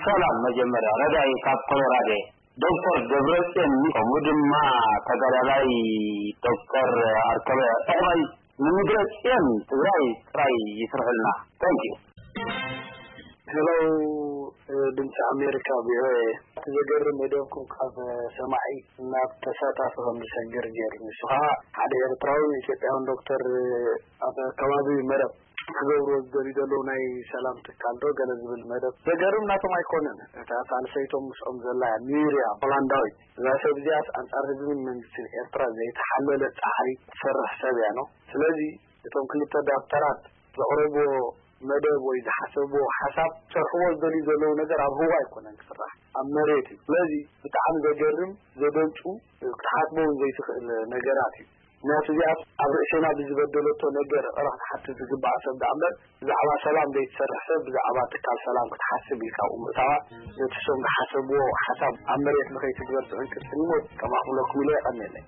ሰላም፣ መጀመርያ ረዳኢ ካብ ኮሎራዶ፣ ዶክተር ደብረጽዮን፣ ከምኡ ድማ ተጋዳላይ ዶክተር ኣርከበ ዕቕባይ ንምድረ ጽዮን ትግራይ ጥራይ ይስርሑልና። Thank you። ሄሎ፣ ድምፂ ኣሜሪካ፣ ቪኦኤ። እቲ ዘገርም መደብኩም ካብ ሰማዒ ናብ ተሳታፊ ከም ዝሰግር ገይሩ። ንሱ ከዓ ሓደ ኤርትራዊ ኢትዮጵያውን ዶክተር ኣብ ከባቢ መረብ ክገብርዎ ዝደልዩ ዘለዉ ናይ ሰላም ትካል ዶ ገለ ዝብል መደብ ዘገርም ናቶም ኣይኮነን። እታ ሳልሰይቶም ምስኦም ዘላ እያ፣ ሚርያ ሆላንዳዊት። እዛ ሰብ እዚኣስ ኣንጻር ህዝብን መንግስትን ኤርትራ ዘይተሓለለ ጻዕሪ ትሰርሕ ሰብ እያ ነው። ስለዚ እቶም ክልተ ዳክተራት ዘቕረብዎ መደብ ወይ ዝሓሰብዎ ሓሳብ ክሰርሕዎ ዝደልዩ ዘለዉ ነገር ኣብ ህዋ ኣይኮነን ክስራሕ፣ ኣብ መሬት እዩ። ስለዚ ብጣዕሚ ዘገርም፣ ዘደንጹ፣ ክትሓስቦ እውን ዘይትኽእል ነገራት እዩ። ምክንያቱ እዚኣ ኣብ ርእሴና ብዝበደለቶ ነገር ይቕረ ክትሓትት ዝግባእ ሰብ ደኣ እምበር ብዛዕባ ሰላም ዘይትሰርሕ ሰብ ብዛዕባ ትካል ሰላም ክትሓስብ ኢልካ ኣብኡ ምእታዋ ነቲ እሶም ዝሓሰብዎ ሓሳብ ኣብ መሬት ንኸይትግበር ትዕንቅጽን እሞ ከማኹለኩም ኢለ የቐንየለይ።